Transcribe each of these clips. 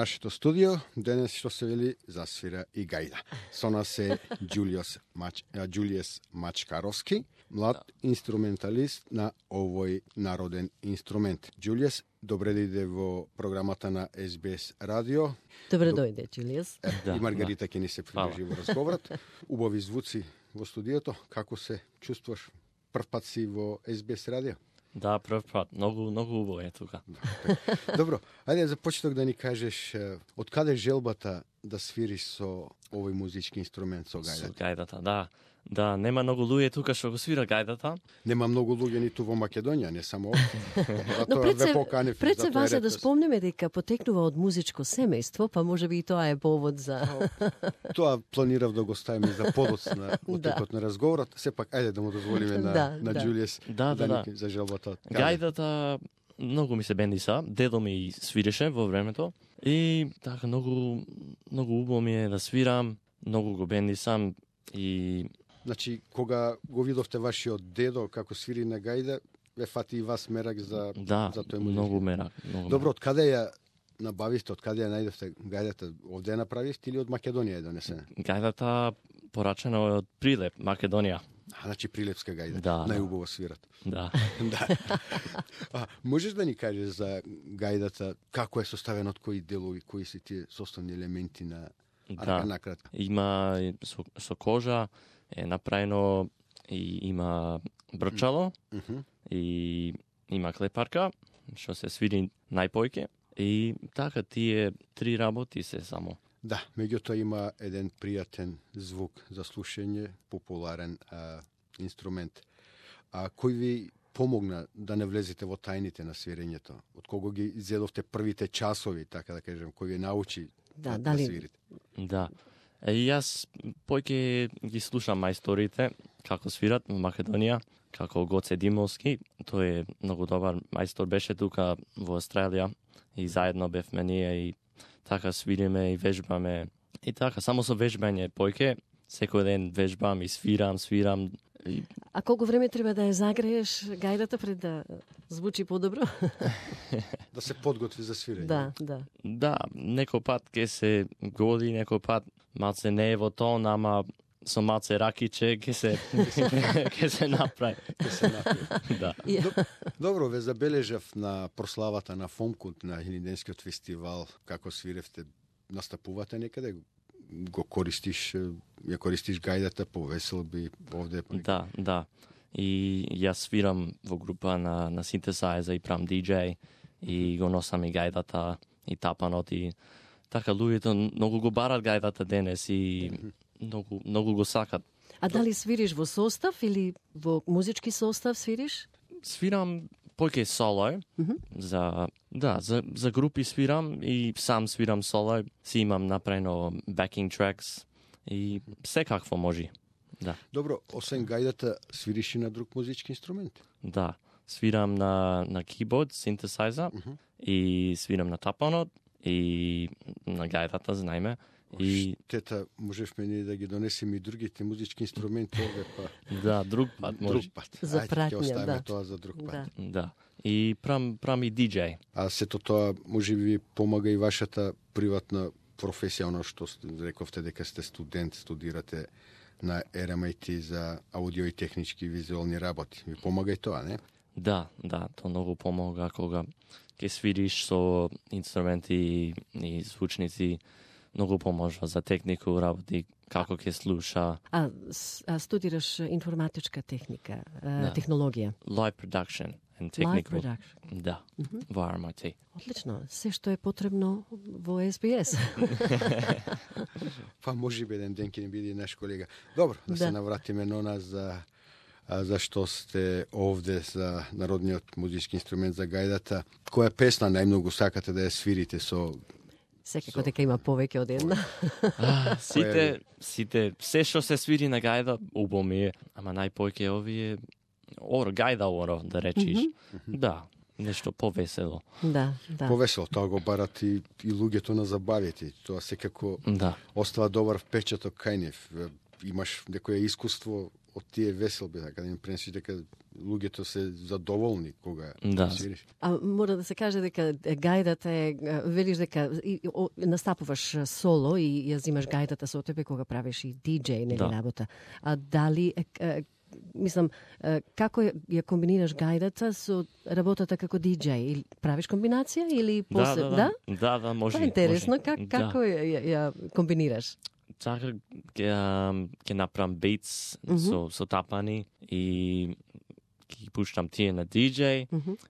нашето студио. Денес што се вели засвира и гајда. Со нас е Ѓулијес Мачкаровски, млад инструменталист на овој народен инструмент. Ѓулијес, добре дојде во програмата на СБС радио. Добре дојде, Ѓулијес. И Маргарита ќе ни се придружи во разговорот. Убави звуци во студиото. Како се чувствуваш? Прв пат си во СБС радио? Да, прв пат. Многу убаво е тука. Добро, ајде за почеток да ни кажеш од каде желбата да свириш со овој музички инструмент, со гајдата? Со гајдата, да. Да, нема многу луѓе тука што го свира гајдата. Нема многу луѓе ниту во Македонија, не само овде. Но пред се важно да спомнеме дека потекнува од музичко семејство, па може би и тоа е повод за... Тоа планирав да го ставиме за подоцна во текот на разговорот. Сепак, ајде да му дозволиме на Ѓулијес за желбата. Гајдата многу ми се бендиса, дедо ми свиреше во времето и така многу убаво ми е да свирам, многу го бендисам и значи кога го видовте вашиот дедо како свири на гајда, ве фати и вас мерак за тој музички. Многу мерак. Добро, од каде ја набавивте, од каде ја најдовте гајдата? Овде ја направивте или од Македонија е донесена? Гајдата порачена од Прилеп, Македонија. Значи прилепска гајда. Најубаво свират. Да. Можеш да ни кажеш за гајдата, како е составена, од кои делови, кои се тие составни елементи на накратко? Има со кожа, е направено и има брчало, и има клепарка, што се свири најпојке, и така тие три работи се само. Да, меѓутоа има еден пријатен звук за слушање, популарен инструмент. Кој ви помогна да не влезете во тајните на свирењето? Од кого ги зедовте првите часови, така да кажем, кој ви научи да свирите? Да. И јас појќе ги слушам мајсторите како свират во Македонија, како Гоце Димовски. Тој е многу добар мајстор, беше тука во Австралија и заедно бевме ние и така свириме и вежбаме. И така, само со вежбање појќе, секој ден вежбам и свирам. А колку време треба да ја загрееш гајдата пред да звучи подобро? Да се подготви за свирење. Да. Да, некој пат ке се годи, некој пат малце не е во тон, ама со малце ракиче ке се направи. Да. Добро, ве забележав на прославата на Фомкунт на Илинденскиот фестивал, како свиревте, настапувате некаде, ја користиш гајдата по веселби овде? Да. И јас свирам во група на Synthesizer и правам DJ и го носам и гајдата и тапанот и така луѓето многу го барат гајдата денес и многу го сакат. А дали свириш во состав или во музички состав свириш? Свирам појќе соло. За групи свирам и сам свирам соло. Си имам направено backing tracks и секакво може. Да. Добро, освен гајдата, свириш и на друг музички инструмент? Да, свирам на keyboard, synthesizer и свирам на тапанот и на гајдата, знаеме. И тета, можевме ние да ги донесеме и другите музички инструменти овде, па. Да, друг пат може. Друг пат. За пратња, ќе оставиме тоа за друг пат. Да. И прам и DJ. А сето тоа може би помага и вашата приватна професија, оно што рековте дека сте студент, студирате на RMIT за аудио и технички визуелни работи. Ви помага и тоа, не? Да, тоа многу помага кога ќе свириш со инструменти и звучници. Многу поможува за технику, работи, како ќе слуша. А студираш информатичка техника, технологија? Live production and technical. Live production. Да, во RMIT. Одлично, се што е потребно во СБС. Па може би еден ден ќе ни биде наш колега. Добро, да се навратиме на нас за што сте овде за народниот музички инструмент за гајдата. Која песна најмногу сакате да ја свирите со... Секако дека има повеќе од една. Сите, се што се свири на гајда, убаво ми е, ама најпојќе овие гајда да речиш. Да, нешто повесело. Да. Повесело, тоа го барат и луѓето на забавите. Тоа секако остава добар впечаток кај нив. Имаш некое искуство од тие веселби, така да им пренесиш дека луѓето се задоволни кога свириш. А мора да се каже дека гајдата е, велиш дека настапуваш соло и ја взимаш гајдата со тебе кога правиш и диџеј, нели работа. А дали мислам, како ја комбинираш гајдата со работата како диџеј? Или правиш комбинација или после? Да, може. Тоа е интересно, како ја комбинираш? Така ќе направам бейтс со тапани и ќе пуштам тие на диџеј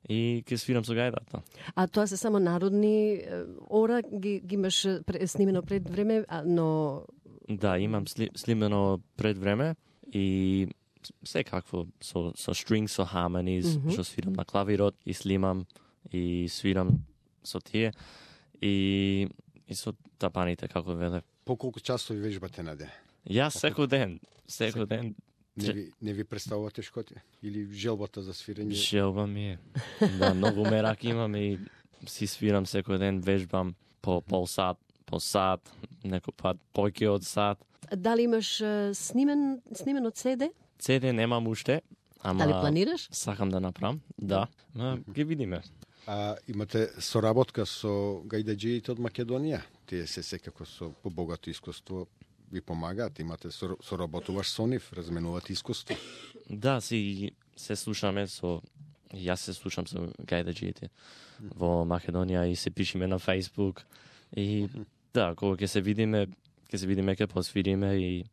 и ќе свирам со гајдата. А тоа се само народни ора ги имаш снимено пред време, но Да, имам снимено пред време и секакво со string, со harmonies, што свирам на клавирот и снимам и свирам со тие и со тапаните, како веле. По колку часови вежбате на ден? Јас секој ден. Не ви представува тешкоти? Или желбата за свирење? Желба ми е. Да, многу мерак имам и си свирам секој ден, вежбам по пол сат, по сат, некој пат поќе од сат. Дали имаш снимен од CD? CD немам уште, ама дали планираш? Сакам да направам, да. Ги видиме. Имате соработка со гајдаџиите од Македонија? Тие се секако со побогато искуство ви помагаат, имате соработуваш со нив, разменувате искуство? Да, се слушаме јас се слушам со гајдаџиите во Македонија и се пишеме на Facebook и да, кога ќе се видиме, ќе посвириме и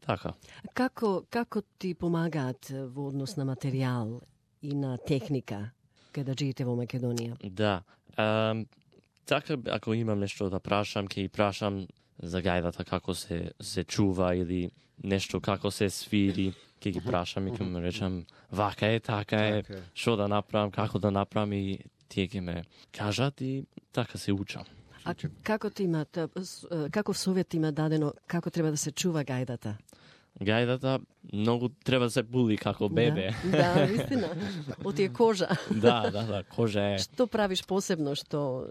така. Како ти помагаат во однос на материјал и на техника гајдаџиите во Македонија? Да. Така, ако имам нешто да прашам, ќе и прашам за гајдата како се чува или нешто како се свири, ќе ги прашам и ќе му речам вака е, така е, што да направам, како да направам и тие ќе ме кажат и така се учам. А каков совет има дадено како треба да се чува гајдата? Гајдата многу треба да се були како бебе. Да, вистина. Од тие кожа. Да, кожа е. Што правиш посебно што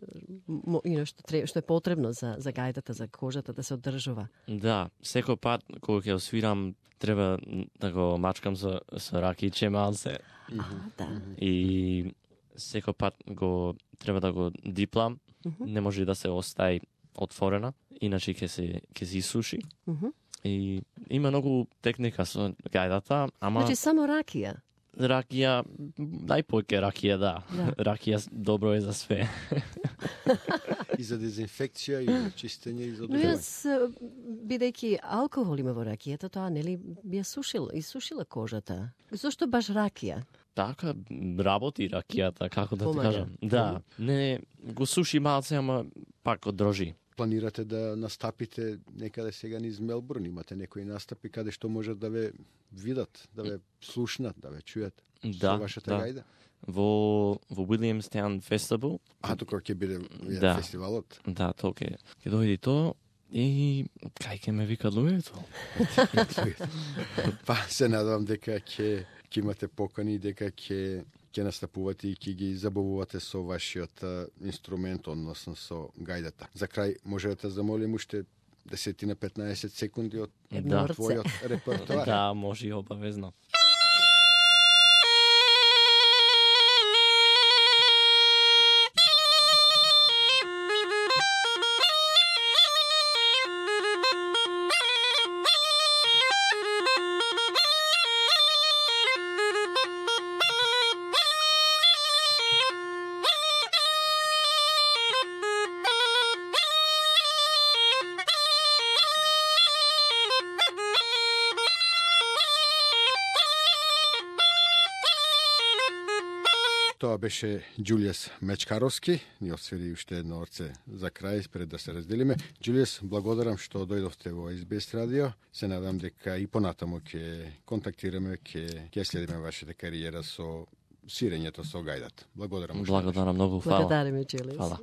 е потребно за гајдата, за кожата да се одржува? Да, секој пат кога ќе освирам треба да го мачкам со ракиче малце. Да. И секој пат треба да го диплам. Не може да се остаи отворена, иначе ќе се исуши. И има многу техника со гајдата, ама... Значи само ракија? Ракија, најпоќе ракија, да. Ракија добро е за све. И за дезинфекција, и за чистење, и за одржување. Но јас, бидејќи алкохол има во ракијата, тоа нели би ја исушила кожата? Зошто баш ракија? Така, работи ракијата, како да ти кажам. Да, не го суши малце, ама пак одржи. Планирате да настапите некаде сега низ Мелбурн? Имате некои настапи каде што можат да ве видат, да ве слушнат, да ве чујат со вашата гајда? Во Williamstown Festival. Тука ќе биде фестивалот? Да, тоа ќе дојде тоа. И кај ќе ме викат луѓето? Па се надевам дека ќе имате покани, дека ќе настапувате и ќе ги забавувате со вашиот инструмент, односно со гајдата. За крај, може да те замолим уште 10-15 секунди од твојот репертоар? Да, може и обавезно. Тоа беше Џулијас Мечкаровски. Ни освири уште едно орце за крај, пред да се разделиме. Џулијас, благодарам што дојдовте во SBS радио. Се надам дека и понатаму ќе контактираме, ќе следиме вашата кариера со свирењето со гајдата. Благодарам. Благодарам многу, фала. Благодариме, Џулијас. Фала.